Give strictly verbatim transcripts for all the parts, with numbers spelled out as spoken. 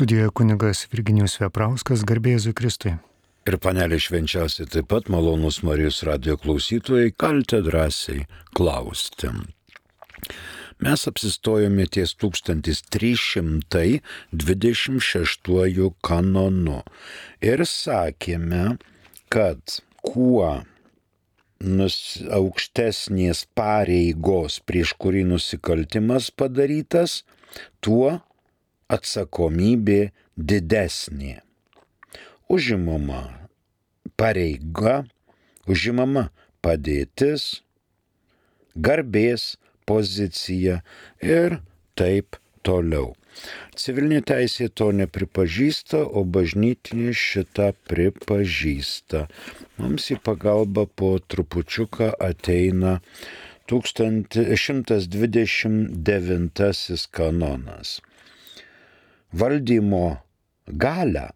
Studijoje kunigas Virginijus Veprauskas, garbė Jėzui Kristui. Ir panelė švenčiausiai taip pat malonus Marijos radijo klausytojai, galite drąsiai klausti. Mes apsistojome ties tūkstantis trys šimtai dvidešimt šeštuoju kanonu ir sakėme, kad kuo nus, aukštesnės pareigos, prieš kurį nusikaltimas padarytas, tuo atsakomybė didesnė. Užimama pareiga, užimama padėtis, garbės pozicija ir taip toliau. Civilinė teisė to nepripažįsta, o bažnytinė šitą pripažįsta. Mums į pagalbą po trupučiuką ateina šimtas dvidešimt devintasis kanonas. Valdymo galią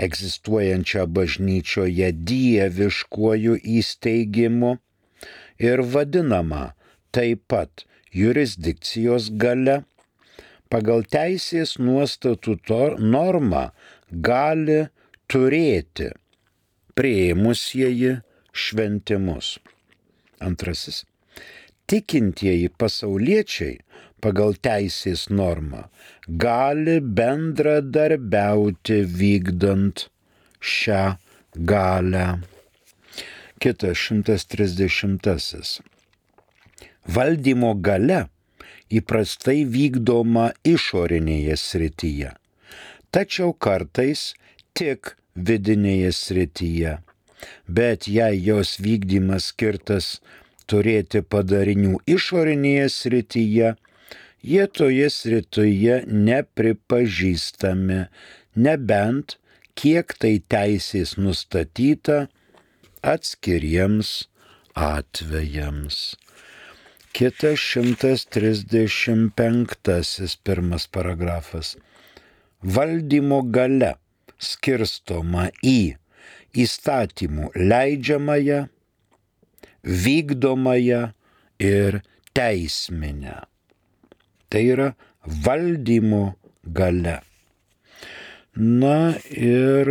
egzistuojančią bažnyčioje dieviškuoju įsteigimu ir vadinama taip pat jurisdikcijos galia, pagal teisės nuostatų normą gali turėti priėmusieji šventimus. Antrasis. Tikintieji pasauliečiai pagal teisės normą gali bendradarbiauti vykdant šią galią. Kitas šimtas trisdešimtasis. Valdymo galia įprastai vykdoma išorinėje srityje, tačiau kartais tik vidinėje srityje, bet jei jos vykdymas skirtas turėti padarinių išorinėje srityje, jie toje srityje nepripažįstami, nebent kiek tai teisės nustatyta atskiriems atvejams. Kitas šimtas trisdešimt penktasis pirmas paragrafas. Valdymo galia skirstoma į įstatymų leidžiamąją, vykdomąją ir teisminę. Tai yra valdymo galia. Na ir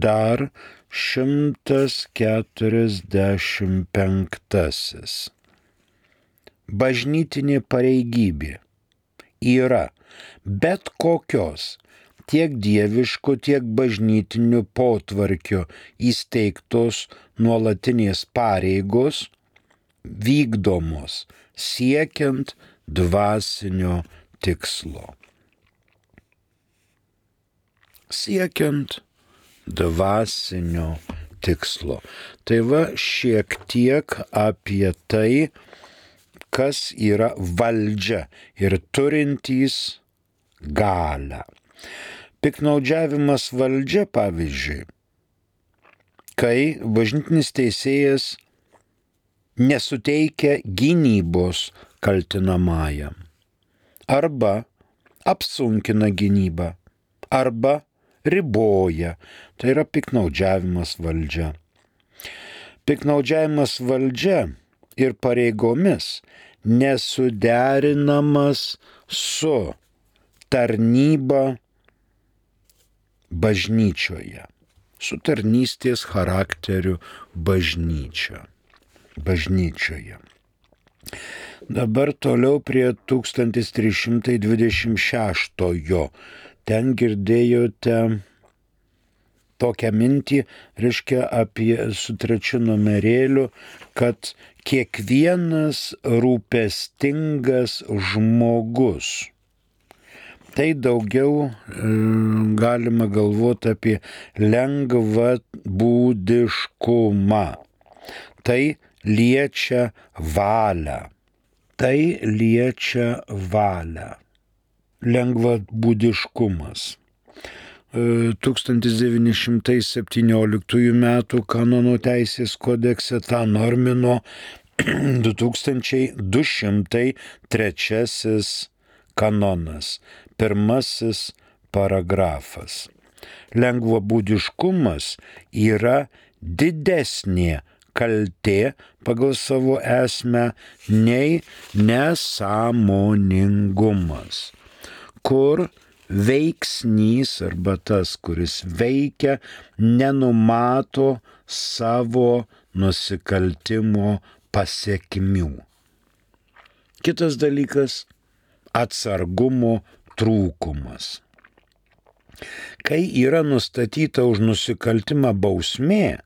dar šimtas keturiasdešimt penktasis. Bažnytinė pareigybė yra bet kokios tiek dieviško, tiek bažnytinių potvarkio įsteigtos nuolatinės pareigos vykdomos siekiant dvasinio tikslo. Siekiant dvasinio tikslo. Tai va šiek tiek apie tai, kas yra valdžia ir turintys galią. Piknaudžiavimas valdžia, pavyzdžiui, kai bažnytinis teisėjas nesuteikia gynybos kaltinamajam, arba apsunkina gynybą, arba riboja, tai yra piknaudžiavimas valdžia. Piknaudžiavimas valdžia ir pareigomis nesuderinamas su tarnyba bažnyčioje, su tarnystės charakteriu bažnyčia, bažnyčioje. Dabar toliau prie tūkstantis trys šimtai dvidešimt šeštojo. Ten girdėjote tokią mintį, reiškia apie su trečiu numerėliu, kad kiekvienas rūpestingas žmogus. Tai daugiau e, galima galvoti apie lengvabūdiškumą. Tai liečia valią. Tai liečia valią. Lengvabūdiškumas. tūkstantis devyni šimtai septynioliktųjų metų kanono teisės kodekse tą normino du tūkstančiai du šimtai trečiasis kanonas, pirmasis paragrafas. Lengvabūdiškumas yra didesnė kaltė pagal savo esmę nei nesąmoningumas, kur veiksnys arba tas, kuris veikia, nenumato savo nusikaltimo pasiekmių. Kitas dalykas - atsargumo trūkumas. Kai yra nustatyta už nusikaltimą bausmė,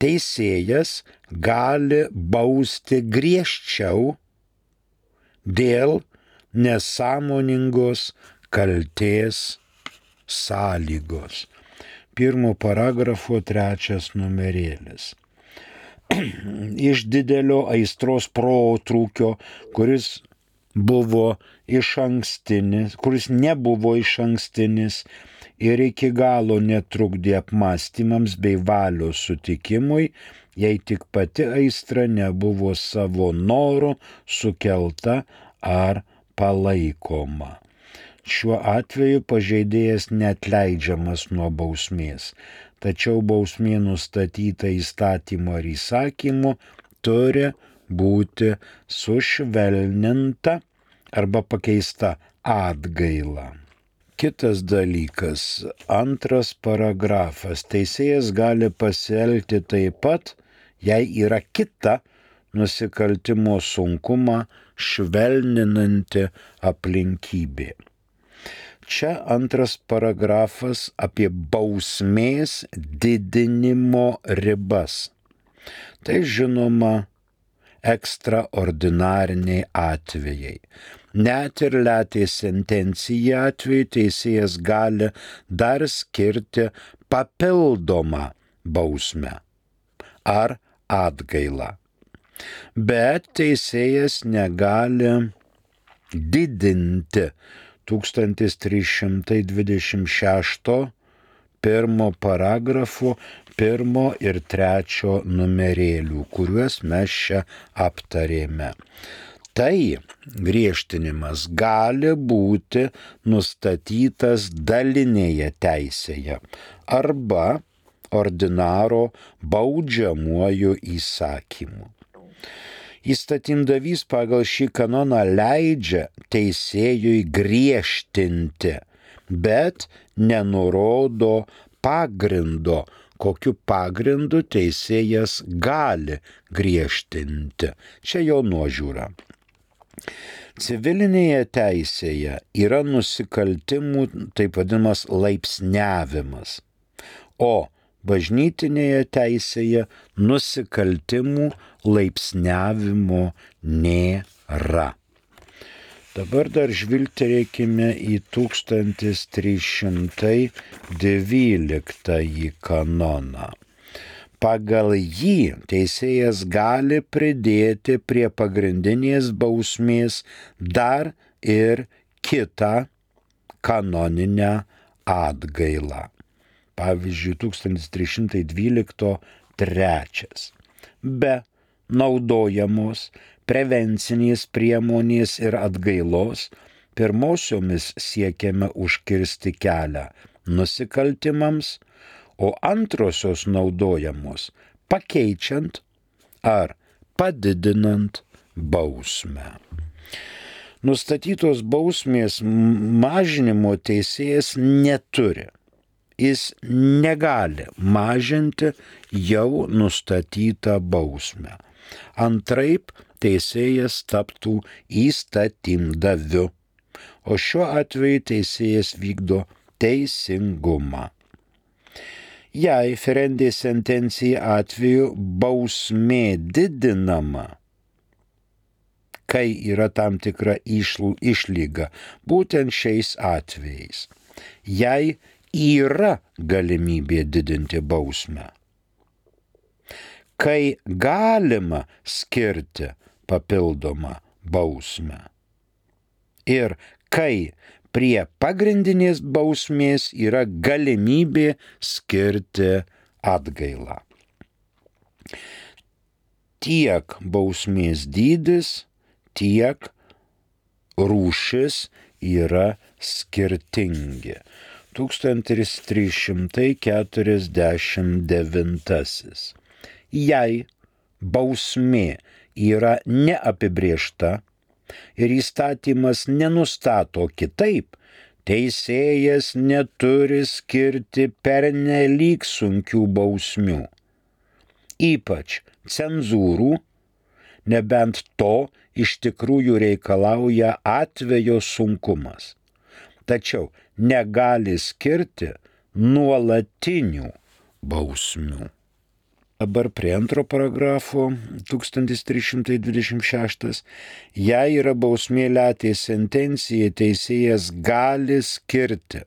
teisėjas gali bausti griežčiau dėl nesąmoningos kaltės sąlygos. Pirmo paragrafo trečias numerėlis. Iš didelio aistros protrūkio, kuris buvo iš ankstinis, kuris nebuvo iš ankstinis ir iki galo netrukdė apmąstymams bei valios sutikimui, jei tik pati aistra nebuvo savo noru sukelta ar palaikoma. Šiuo atveju pažeidėjas neatleidžiamas nuo bausmės, tačiau bausmė nustatyta įstatymu ar įsakymu turi būti sušvelninta arba pakeista atgaila. Kitas dalykas, antras paragrafas. Teisėjas gali pasielgti taip pat, jei yra kita nusikaltimo sunkumą švelninanti aplinkybė. Čia antras paragrafas apie bausmės didinimo ribas. Tai žinoma ekstraordinariniai atvejai. Net ir letės sentencija atveju teisėjas gali dar skirti papildomą bausmę ar atgailą. Bet teisėjas negali didinti tūkstantis trys šimtai dvidešimt šešto pirmo paragrafo pirmo ir trečio numerėlių, kuriuos mes čia aptarėme. Tai griežtinimas gali būti nustatytas dalinėje teisėje arba ordinaro baudžiamuoju įsakymu. Įstatymdavys pagal šį kanoną leidžia teisėjui griežtinti, bet nenurodo pagrindo, kokiu pagrindu teisėjas gali griežtinti. Čia jo nuožiūra. Civilinėje teisėje yra nusikaltimų taip vadinamas laipsniavimas, o bažnytinėje teisėje nusikaltimų laipsniavimo nėra. Dabar dar žvilgterėkime į tūkstantis trys šimtai dvyliktąjį kanoną. Pagal jį teisėjas gali pridėti prie pagrindinės bausmės dar ir kitą kanoninę atgailą. Pavyzdžiui, tūkstantis trys šimtai dvylikto trečias. Be naudojamos prevencinės priemonės ir atgailos pirmosiomis siekiame užkirsti kelią nusikaltimams, o antrosios naudojamos pakeičiant ar padidinant bausmę. Nustatytos bausmės mažinimo teisėjas neturi. Jis negali mažinti jau nustatytą bausmę. Antraip teisėjas taptų įstatymdaviu, o šiuo atveju teisėjas vykdo teisingumą. Jei ferendė sentencija atveju bausmė didinama, kai yra tam tikra išlyga, būtent šiais atvejais, jei yra galimybė didinti bausmę, kai galima skirti papildomą bausmę ir kai prie pagrindinės bausmės yra galimybė skirti atgailą. Tiek bausmės dydis, tiek rūšis yra skirtingi. tūkstantis trys šimtai keturiasdešimt devintasis. Jei bausmė yra neapibrėžta ir įstatymas nenustato kitaip, teisėjas neturi skirti pernelyg sunkių bausmių, ypač cenzūrų, nebent to iš tikrųjų reikalauja atvejo sunkumas. Tačiau negali skirti nuolatinių bausmių. Dabar prie antro paragrafo, tūkstantis trys šimtai dvidešimt šeštas. Jei yra bausmė letė sentencija, teisėjas gali skirti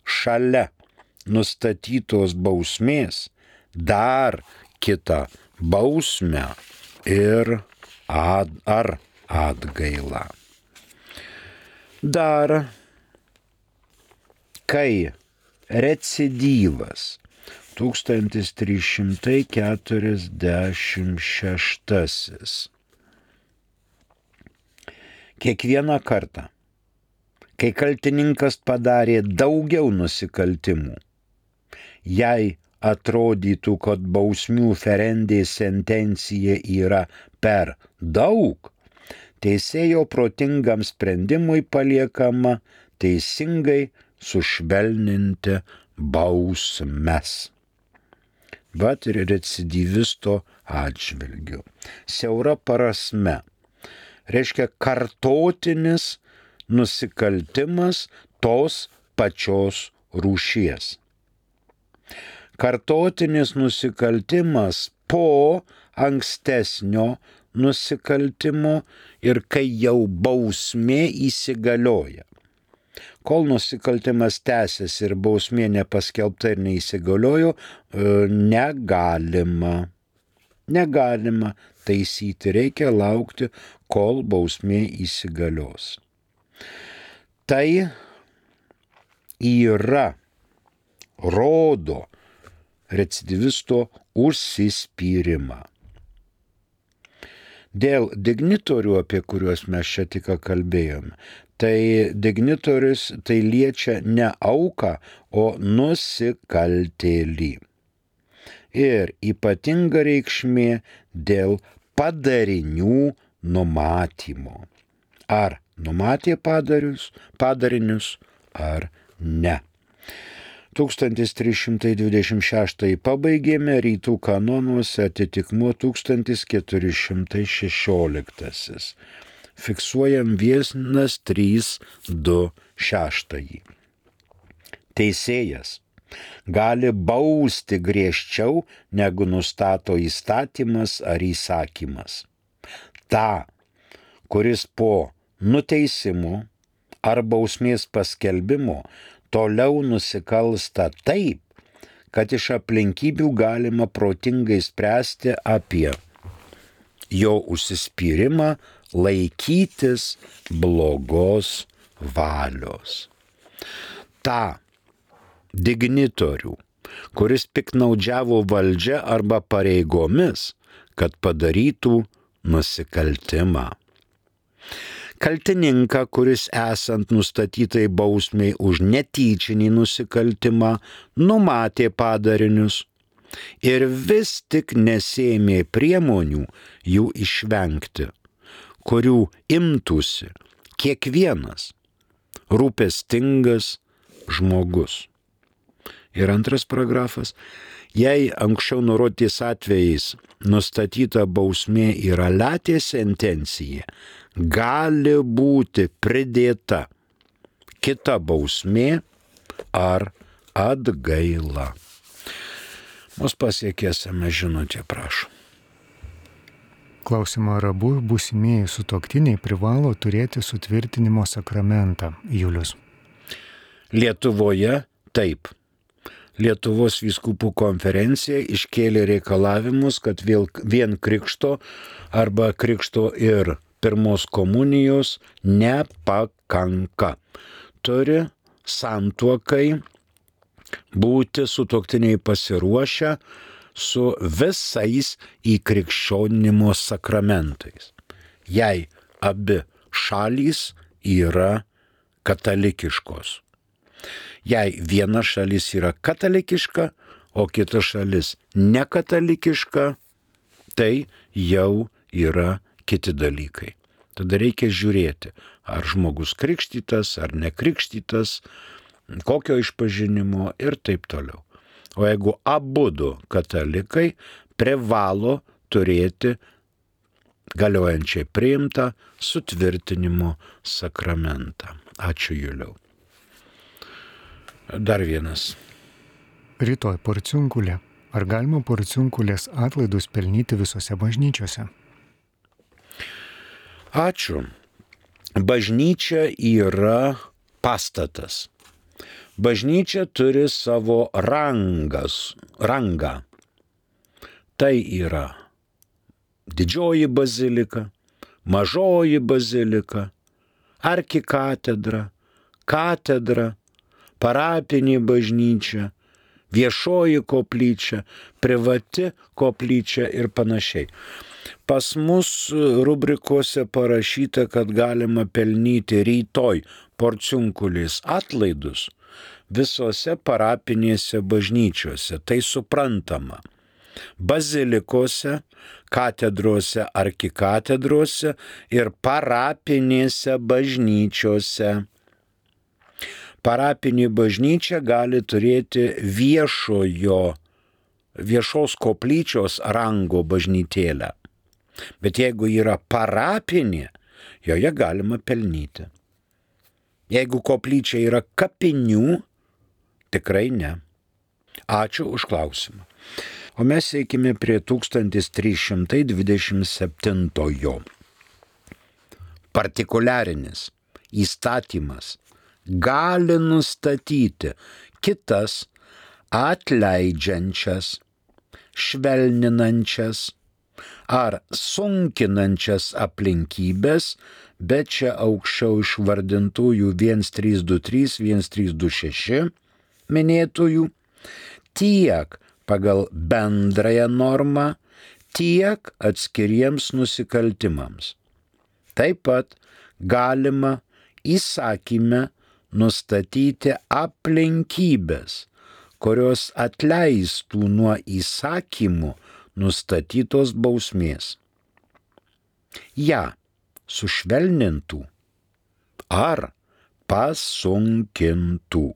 šalia nustatytos bausmės dar kitą bausmę ir ad, ar atgailą. Dar, kai recidyvas tūkstantis trys šimtai keturiasdešimt šeštasis. Kiekvieną kartą, kai kaltininkas padarė daugiau nusikaltimų, jei atrodytų, kad bausmių ferendė sentencija yra per daug, teisėjo protingam sprendimui paliekama teisingai sušvelninti bausmes. Bet ir recidyvisto atžvilgiu. Siaura prasme. Reiškia kartotinis nusikaltimas tos pačios rūšies. Kartotinis nusikaltimas po ankstesnio nusikaltimo ir kai jau bausmė įsigalioja. Kol nusikaltimas tęsiasi ir bausmė nepaskelbta ir neįsigaliojo, negalima, negalima taisyti, reikia laukti, kol bausmė įsigalios. Tai yra, rodo recidyvisto užsispyrimą. Dėl dignitorių, apie kuriuos mes čia tik kalbėjome, tai dignitorius tai liečia ne auką, o nusikaltėlį. Ir ypatinga reikšmė dėl padarinių numatymo. Ar numatė padarius, padarinius, ar ne. tūkstantis trys šimtai dvidešimt šeštąjį pabaigėme, rytų kanonuose atitikmuo tūkstantis keturi šimtai šešioliktasis. Fiksuojam vienas trys du šeštąjį. Teisėjas gali bausti griežčiau, negu nustato įstatymas ar įsakymas. Ta, kuris po nuteisimo ar bausmės paskelbimo toliau nusikalsta taip, kad iš aplinkybių galima protingai spręsti apie jo užsispyrimą laikytis blogos valios. Ta dignitorių, kuris piknaudžiavo valdžia arba pareigomis, kad padarytų nusikaltimą. Kaltininką, kuris esant nustatytai bausmei už netyčinį nusikaltimą, numatė padarinius ir vis tik nesėmė priemonių jų išvengti, kurių imtųsi kiekvienas rūpestingas žmogus. Ir antras paragrafas. Jei anksčiau nurodytais atvejais nustatyta bausmė yra letė sentencija, gali būti pridėta kita bausmė ar atgaila. Mus pasiekė es em es žinutė, prašau. Klausimą, ar abu būsimieji sutuoktiniai privalo turėti sutvirtinimo sakramentą, Julius? Lietuvoje taip. Lietuvos vyskupų konferencija iškėlė reikalavimus, kad vien krikšto arba krikšto ir pirmos komunijos nepakanka. Turi santuokai būti sutuoktiniai pasiruošę su visais įkrikščionimo sakramentais. Jei abi šalys yra katalikiškos. Jei viena šalis yra katalikiška, o kita šalis nekatalikiška, tai jau yra kiti dalykai. Tada reikia žiūrėti, ar žmogus krikštytas, ar nekrikštytas, kokio išpažinimo ir taip toliau. O jeigu abudu katalikai privalo turėti galiojančiai priimtą sutvirtinimo sakramentą. Ačiū, Juliau. Dar vienas. Rytoj porciunkulė. Ar galima porciunkulės atlaidus pelnyti visose bažnyčiose? Ačiū. Bažnyčia yra pastatas. Bažnyčia turi savo rangas, rangą. Tai yra didžioji bazilika, mažoji bazilika, arkikatedra, katedra, parapinė bažnyčia, viešoji koplyčia, privati koplyčia ir panašiai. Pas mus rubrikose parašyta, kad galima pelnyti rytoj porciunkulės atlaidus visose parapinėse bažnyčiose. Tai suprantama. Bazilikose, katedrose, arkikatedrose ir parapinėse bažnyčiose. Parapinė bažnyčia gali turėti viešojo, viešos koplyčios rango bažnytėlę. Bet jeigu yra parapinė, joje galima pelnyti. Jeigu koplyčia yra kapinių, tikrai ne. Ačiū už klausimą. O mes eikime prie tūkstantis trys šimtai dvidešimt septintojo. Partikuliarinis įstatymas gali nustatyti kitas atleidžiančias, švelninančias ar sunkinančias aplinkybės, bet čia aukščiau išvardintųjų vienas trys du trys, vienas trys du šeši minėtųjų, tiek pagal bendrąją normą, tiek atskiriems nusikaltimams. Taip pat galima įsakyme nustatyti aplinkybės, kurios atleistų nuo įsakymų nustatytos bausmės. Ja sušvelnintų ar pasunkintų.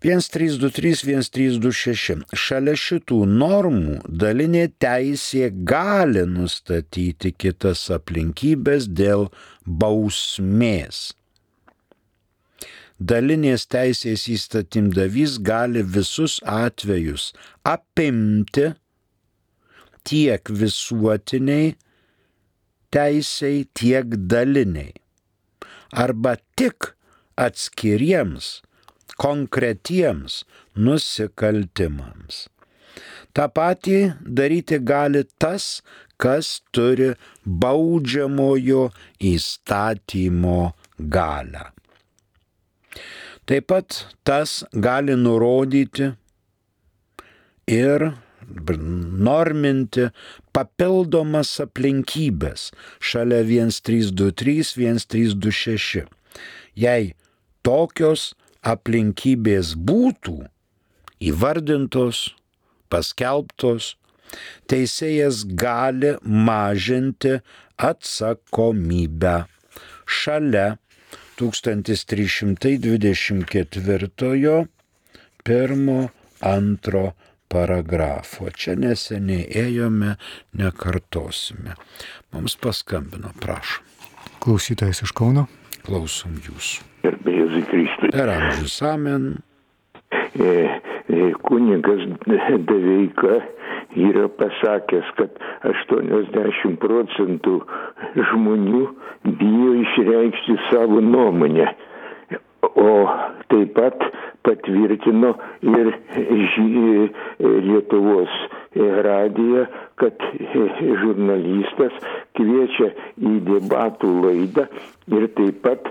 vienas trys du trys, vienas trys du šeši. Šalia šitų normų dalinė teisė gali nustatyti kitas aplinkybės dėl bausmės. Dalinės teisės įstatymdavys gali visus atvejus apimti tiek visuotiniai teisei, tiek daliniai, arba tik atskiriems konkretiems nusikaltimams. Ta patį daryti gali tas, kas turi baudžiamojo įstatymo galią. Taip pat tas gali nurodyti ir norminti papildomas aplinkybės šalia vienas trys du trys, vienas trys du šeši. Jei tokios aplinkybės būtų įvardintos, paskelbtos, teisėjas gali mažinti atsakomybę šalia tūkstantis trys šimtai dvidešimt ketvirtojo pirmo, antro paragrafo. Čia neseniai ėjome, nekartosime. Mums paskambino, prašom. Klausytojas iš Kauno. Klausom jūsų. Gerbė Jėzui Kristui. Per amžius, amen. E, e, kunigas Deveika yra pasakęs, kad aštuoniasdešimt procentų žmonių bijo išreikšti savo nuomonę. O taip pat patvirtino ir Lietuvos radiją, kad žurnalistas kviečia į debatų laidą ir taip pat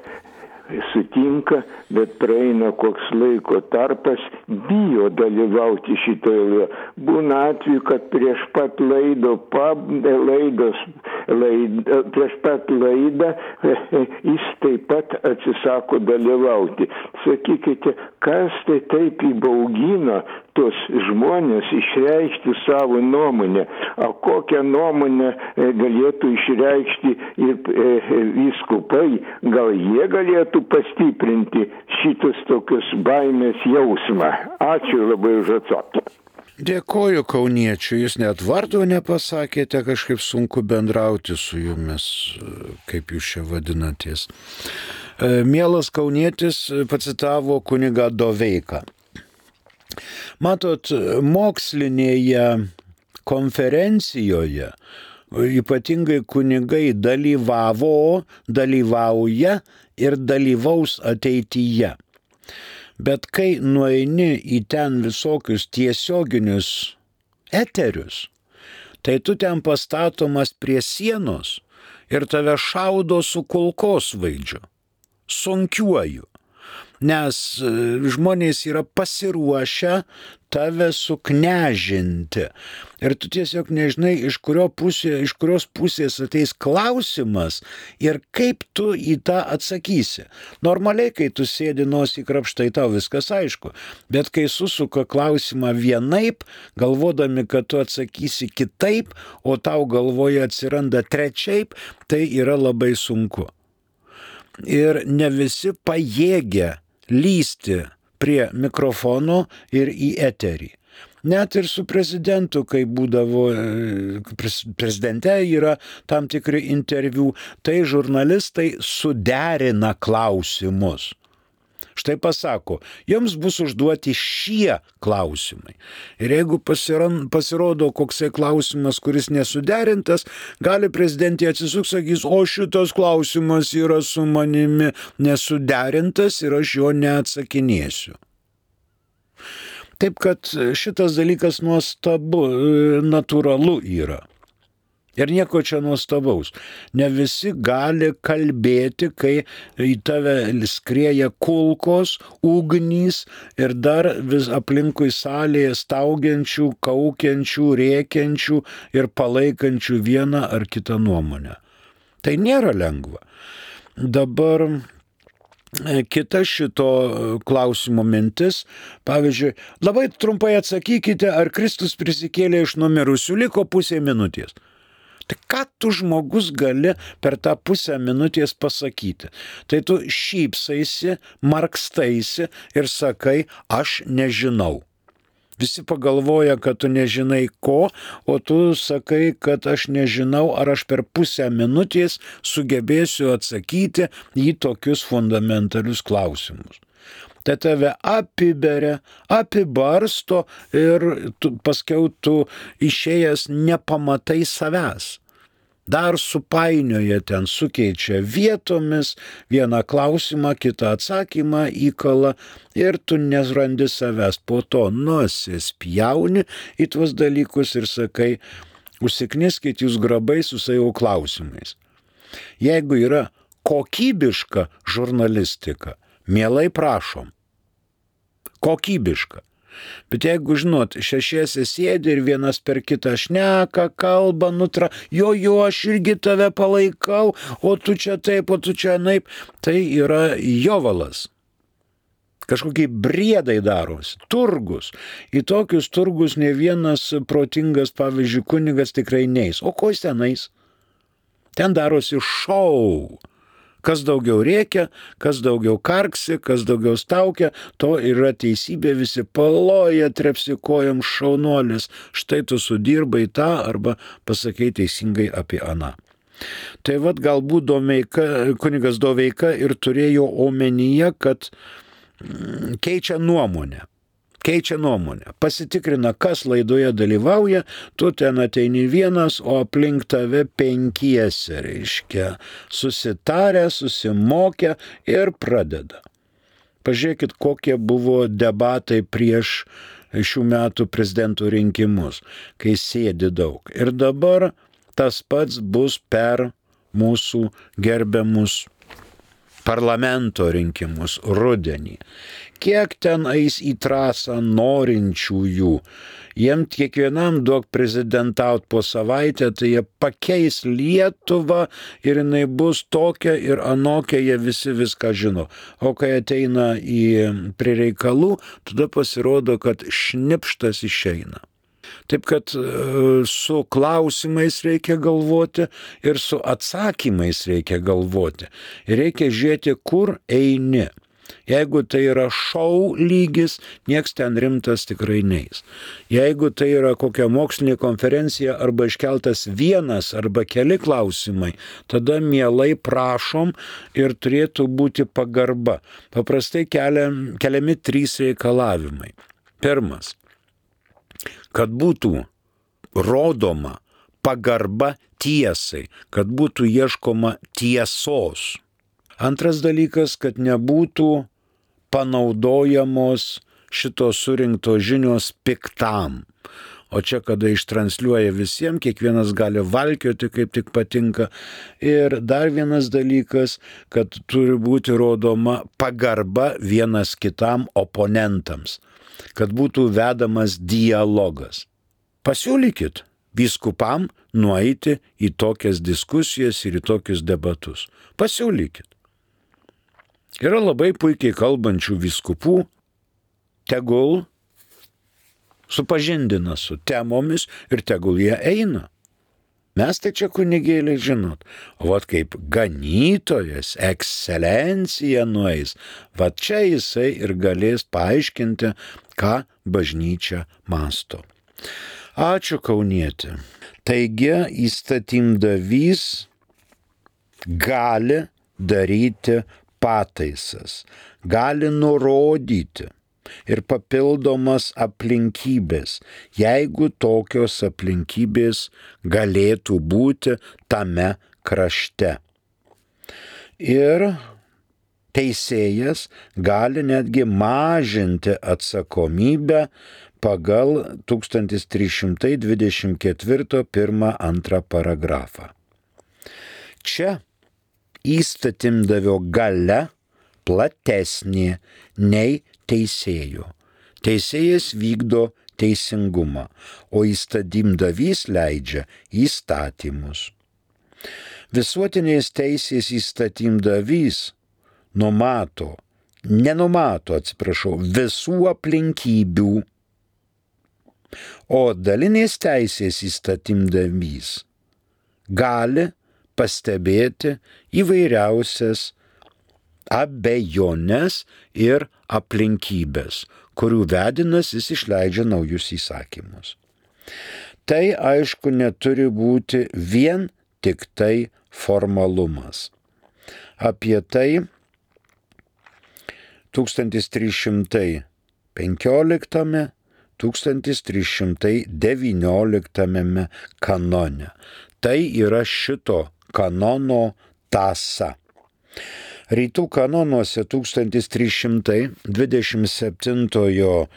sutinka, bet praeina koks laiko tarpas, bijo dalyvauti šitoje laidoje. Būna atveju, kad prieš pat laido, pab, laidos laidą, prieš pat laidą jis taip pat atsisako dalyvauti. Sakykite, kas tai taip įbaugino tos žmonės išreikšti savo nuomonę, o kokią nuomonę galėtų išreikšti ir vyskupai, gal jie galėtų pastiprinti šitus tokius baimės jausmą. Ačiū labai už atsakymą. Dėkoju kauniečiui, jūs net vardo nepasakėte, kažkaip sunku bendrauti su jumis, kaip jūs čia vadinatės. Mielas kaunietis pacitavo kunigą Doveiką. Matot, mokslinėje konferencijoje ypatingai kunigai dalyvavo, dalyvauja ir dalyvaus ateityje. Bet kai nueini į ten visokius tiesioginius eterius, tai tu ten pastatomas prie sienos ir tave šaudo su kulkosvaidžiu, sunkiuoju. Nes žmonės yra pasiruošę tave suknežinti. Ir tu tiesiog nežinai, iš, kurio pusė, iš kurios pusės ateis klausimas ir kaip tu į tą atsakysi. Normaliai, kai tu sėdi nosį krapštai, tau viskas aišku. Bet kai susuka klausimą vienaip, galvodami, kad tu atsakysi kitaip, o tau galvoje atsiranda trečiaip, tai yra labai sunku. Ir ne visi pajėgia lysti prie mikrofono ir į eterį. Net ir su prezidentu, kai būdavo, prezidente yra tam tikri interviu, tai žurnalistai suderina klausimus. Štai pasako, jums bus užduoti šie klausimai. Ir jeigu pasirodo koksai klausimas, kuris nesuderintas, gali prezidentė atsisuks, sakys, o šitas klausimas yra su manimi nesuderintas ir aš jo neatsakinėsiu. Taip kad šitas dalykas nuostabu, natūralu yra. Ir nieko čia nuostabaus. Ne visi gali kalbėti, kai į tave skrieja kulkos, ugnys ir dar vis aplinkui salėje staugiančių, kaukiančių, rėkiančių ir palaikančių vieną ar kitą nuomonę. Tai nėra lengva. Dabar kita šito klausimo mintis, pavyzdžiui, labai trumpai atsakykite, ar Kristus prisikėlė iš numirusių, liko pusė minutės. Tai ką tu žmogus gali per tą pusę minutės pasakyti? Tai tu šypsaisi, markstaisi ir sakai, aš nežinau. Visi pagalvoja, kad tu nežinai ko, o tu sakai, kad aš nežinau, ar aš per pusę minutės sugebėsiu atsakyti į tokius fundamentalius klausimus. Tai tave apiberia, apibarsto ir tu, paskiau tu išėjęs nepamatai savęs. Dar supainioja ten, sukeičia vietomis, vieną klausimą, kitą atsakymą įkala ir tu nerandi savęs. Po to nusispjauni į tuos dalykus ir sakai, užsikniskit jūs grabai su savo klausimais. Jeigu yra kokybiška žurnalistika, mielai prašom. Kokybiška. Bet jeigu, žinot, šešiese sėdi ir vienas per kitą šneka, kalba, nutra, jo, jo, aš irgi tave palaikau, o tu čia taip, o tu čia naip, tai yra jovalas. Kažkokie briedai darosi, turgus. Į tokius turgus ne vienas protingas, pavyzdžiui, kunigas tikrai neis. O ko jis ten eis? Ten darosi šou. Kas daugiau rėkia, kas daugiau karksi, kas daugiau staukia, to yra teisybė, visi paloja, trepsi kojom, šaunuolis, štai tu sudirbai tą arba pasakai teisingai apie aną. Tai vad galbūt Doveika, kunigas Doveika ir turėjo omenyje, kad keičia nuomonę. Keičia nuomonę, pasitikrina, kas laidoje dalyvauja, tu ten ateini vienas, o aplink tave penkiese, reiškia, susitarę, susimokę ir pradeda. Pažiūrėkit, kokie buvo debatai prieš šių metų prezidentų rinkimus, kai sėdi daug. Ir dabar tas pats bus per mūsų gerbiamus parlamento rinkimus rudenį. Kiek ten eis į trasą norinčiųjų. Jiem kiekvienam duok prezidentaut po savaitę, tai jie pakeis Lietuvą ir jinai bus tokia ir anokia, jie visi viską žino. O kai ateina į prie reikalų, tada pasirodo, kad šnipštas išeina. Taip kad su klausimais reikia galvoti ir su atsakymais reikia galvoti. Ir reikia žiūrėti, kur eini. Jeigu tai yra šou lygis, nieks ten rimtas tikrai neis. Jeigu tai yra kokia mokslinė konferencija arba iškeltas vienas arba keli klausimai, tada mielai prašom ir turėtų būti pagarba. Paprastai keliam, keliami trys reikalavimai. Pirmas, kad būtų rodoma pagarba tiesai, kad būtų ieškoma tiesos. Antras dalykas, kad nebūtų panaudojamos šitos surinktos žinios piktam. O čia, kada ištransliuoja visiems, kiekvienas gali valkioti, kaip tik patinka. Ir dar vienas dalykas, kad turi būti rodoma pagarba vienas kitam oponentams, kad būtų vedamas dialogas. Pasiūlykit vyskupam nueiti į tokias diskusijas ir į tokius debatus. Pasiūlykit. Yra labai puikiai kalbančių vyskupų, tegul supažindina su temomis ir tegul jie eina. Mes tai čia kunigėliai žinot, o vat kaip ganytojas, ekscelencija nueis, va čia jisai ir galės paaiškinti, ką bažnyčia masto. Ačiū, kaunietė. Taigi įstatymdavys gali daryti pataisas, gali nurodyti ir papildomas aplinkybės, jeigu tokios aplinkybės galėtų būti tame krašte. Ir teisėjas gali netgi mažinti atsakomybę pagal tūkstantis trys šimtai dvidešimt ketvirto pirmą antrą paragrafą. Čia įstatymdavio galia platesnė nei teisėjo. Teisėjas vykdo teisingumą, o įstatymdavys leidžia įstatymus. Visuotinės teisės įstatymdavys numato, nenumato, atsiprašau, visų aplinkybių, o dalinės teisės įstatymdavys gali pastebėti įvairiausias abejonės ir aplinkybės, kurių vedinas jis išleidžia naujus įsakymus. Tai aišku neturi būti vien tik tai formalumas. Apie tai tūkstantis trys šimtai penkioliktame tūkstantis trys šimtai devynioliktame kanone. Tai yra šito kanono tąsa. Rytų kanonuose tūkstantis trys šimtai dvidešimt septintojo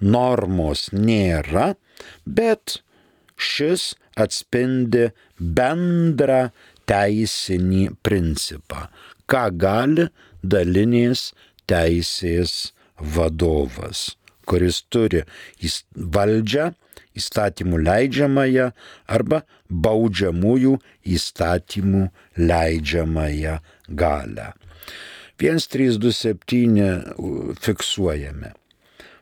normos nėra, bet šis atspindi bendrą teisinį principą, ką gali dalinės teisės vadovas, kuris turi valdžią, įstatymų leidžiamąją arba baudžiamųjų įstatymų leidžiamąją galią. vienas trys du septyni fiksuojame.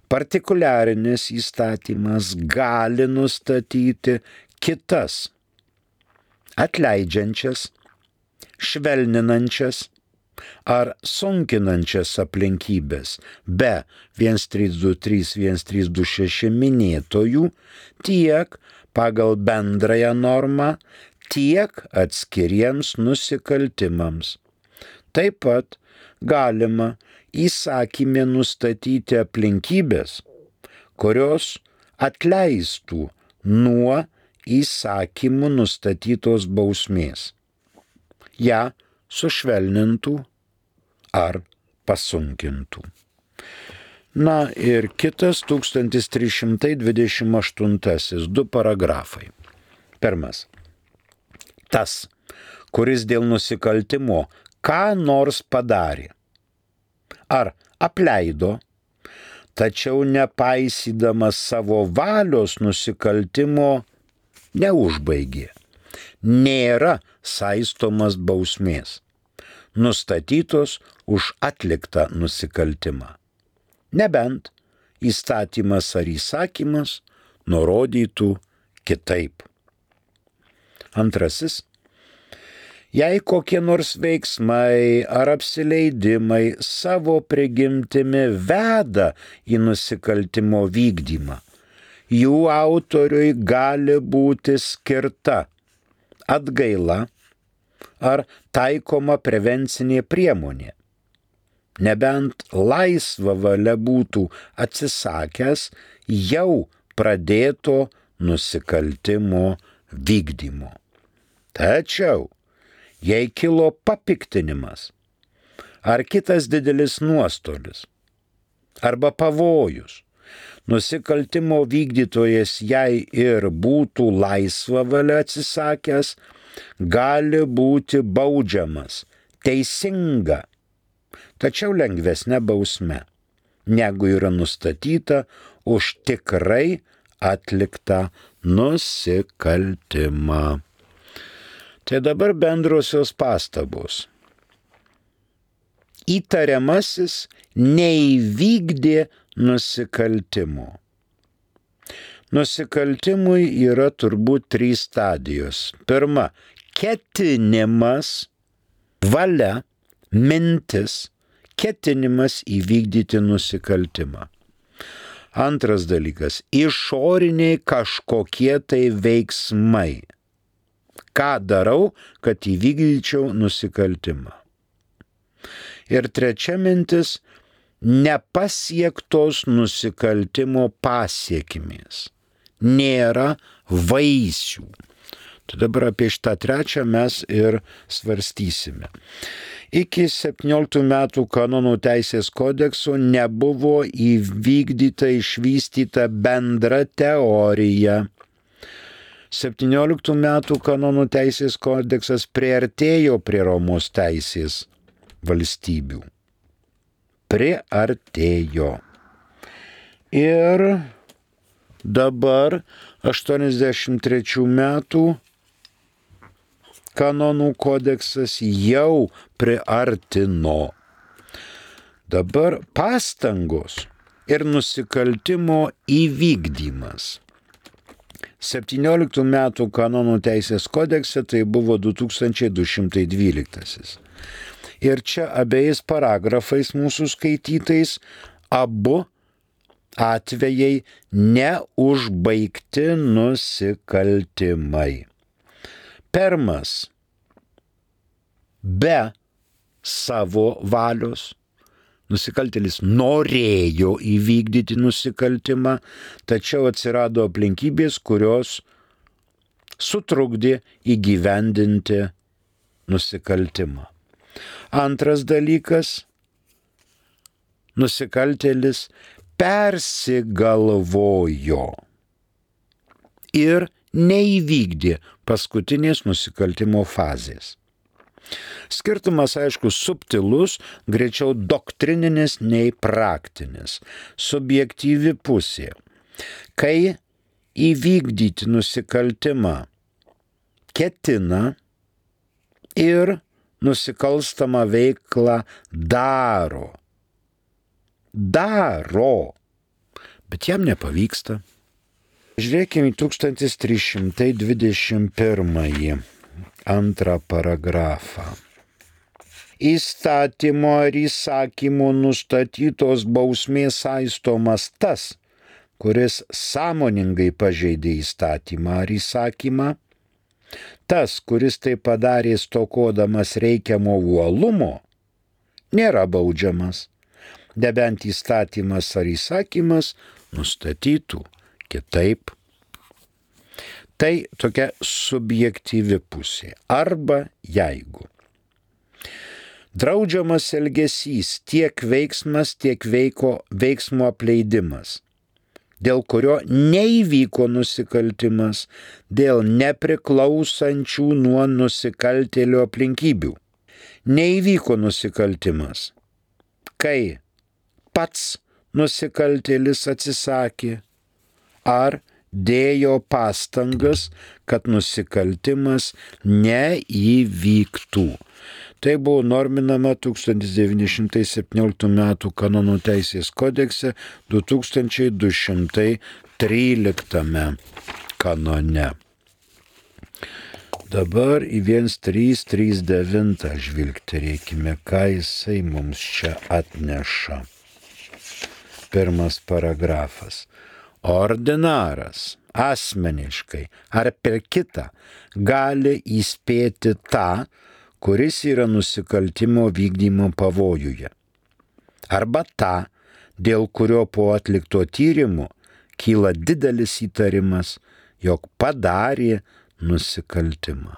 Partikuliarinis įstatymas gali nustatyti kitas atleidžiančias, švelninančias ar sunkinančias aplinkybės be vienas trys du trys vienas trys du šeši minėtojų tiek pagal bendrąją normą, tiek atskiriems nusikaltimams. Taip pat galima įsakyme nustatyti aplinkybės, kurios atleistų nuo įsakymų nustatytos bausmės, ją sušvelnintų ar pasunkintų. Na ir kitas tūkstantis trys šimtai dvidešimt aštuntasis du paragrafai. Pirmas. Tas, kuris dėl nusikaltimo ką nors padarė, ar apleido, tačiau nepaisydamas savo valios nusikaltimo neužbaigė. Nėra saistomas bausmės, nustatytos už atliktą nusikaltimą. Nebent įstatymas ar įsakymas nurodytų kitaip. Antrasis. Jei kokie nors veiksmai ar apsileidimai savo prigimtimi veda į nusikaltimo vykdymą, jų autoriui gali būti skirta atgaila ar taikoma prevencinė priemonė, nebent laisva valia būtų atsisakęs jau pradėto nusikaltimo vykdymo. Tačiau, jei kilo papiktinimas ar kitas didelis nuostolis arba pavojus, nusikaltimo vykdytojas jei ir būtų laisva valia atsisakęs, gali būti baudžiamas teisinga, tačiau lengvesnė bausme, negu yra nustatyta už tikrai atliktą nusikaltimą. Tai dabar bendrosios pastabos. Įtariamasis neįvykdė nusikaltimo. Nusikaltimui yra turbūt trys stadijos. Pirma, ketinimas, valia, mintis, ketinimas įvykdyti nusikaltimą. Antras dalykas, išoriniai kažkokie tai veiksmai. Ką darau, kad įvykdyčiau nusikaltimą. Ir trečia mintis, nepasiektos nusikaltimo pasiekimės. Nėra vaisių. Tai dabar apie šitą trečią mes ir svarstysime. Iki septynioliktų metų kanonų teisės kodekso nebuvo įvykdyta išvystyta bendra teorija. septynioliktų metų kanonų teisės kodeksas priartėjo prie Romos teisės valstybių. Priartėjo. Ir dabar aštuoniasdešimt trečių metų kanonų kodeksas jau priartino. Dabar pastangos ir nusikaltimo įvykdymas. septynioliktų metų kanonų teisės kodekse tai buvo du tūkstančiai du šimtai dvyliktasis. Ir čia abiejais paragrafais mūsų skaitytais abu atvejai neužbaigti nusikaltimai. Pirmas, be savo valios, nusikaltėlis norėjo įvykdyti nusikaltimą, tačiau atsirado aplinkybės, kurios sutrukdė įgyvendinti nusikaltimą. Antras dalykas, nusikaltėlis persigalvojo ir neįvykdė paskutinės nusikaltimo fazės. Skirtumas, aišku, subtilus, greičiau doktrininis nei praktinis, subjektyvi pusė. Kai įvykdyti nusikaltimą ketina ir nusikalstamą veiklą daro. Daro, bet jam nepavyksta. Žiūrėkime į tūkstantis trys šimtai dvidešimt pirmąjį antrą paragrafą. Įstatymo ar įsakymo nustatytos bausmės saistomas tas, kuris sąmoningai pažeidė įstatymą ar įsakymą, tas, kuris tai padarė stokodamas reikiamo uolumo, nėra baudžiamas, nebent įstatymas ar įsakymas nustatytų kitaip. Tai tokia subjektyvi pusė. Arba jeigu draudžiamas elgesys tiek veiksmas, tiek veiko, veiksmo apleidimas, dėl kurio neįvyko nusikaltimas, dėl nepriklausančių nuo nusikaltėlio aplinkybių. Neįvyko nusikaltimas, kai pats nusikaltėlis atsisakė, ar dėjo pastangas, kad nusikaltimas neįvyktų. Tai buvo norminama tūkstantis devyni šimtai septynioliktų metų kanonų teisės kodekse du tūkstančiai du šimtai tryliktame kanone. Dabar į vienas trys trys devyni žvilgterėkime, ką jisai mums čia atneša. Pirmas paragrafas. Ordinaras asmeniškai ar per kitą gali įspėti tą, kuris yra nusikaltimo vykdymo pavojuje, arba tą, dėl kurio po atlikto tyrimo kyla didelis įtarimas, jog padarė nusikaltimą.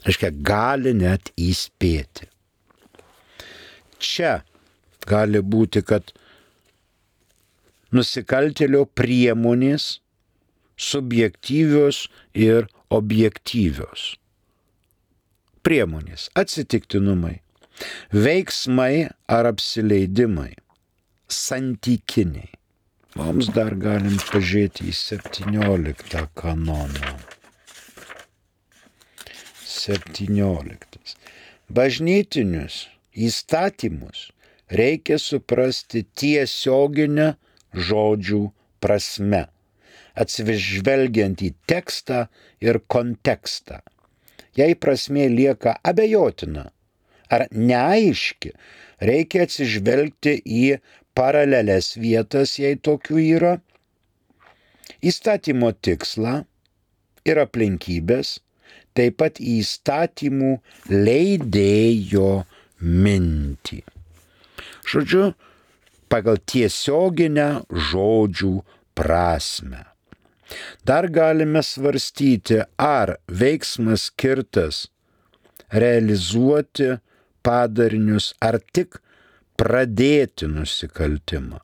Reiškia, gali net įspėti. Čia gali būti, kad nusikaltėlio priemonės subjektyvios ir objektyvios. Priemonės, atsitiktinumai, veiksmai ar apsileidimai, santykiniai. Mums dar galim pažiūrėti į septynioliktą kanoną. septynioliktas. Bažnytinius įstatymus reikia suprasti tiesioginę žodžių prasme, atsižvelgiant į tekstą ir kontekstą. Jei prasmė lieka abejotina ar neaiški, reikia atsižvelgti į paralelės vietas, jei tokių yra, įstatymo tikslą ir aplinkybės, taip pat į įstatymų leidėjo mintį. Žodžiu, pagal tiesioginę žodžių prasmę. Dar galime svarstyti, ar veiksmas skirtas realizuoti padarinius, ar tik pradėti nusikaltimą.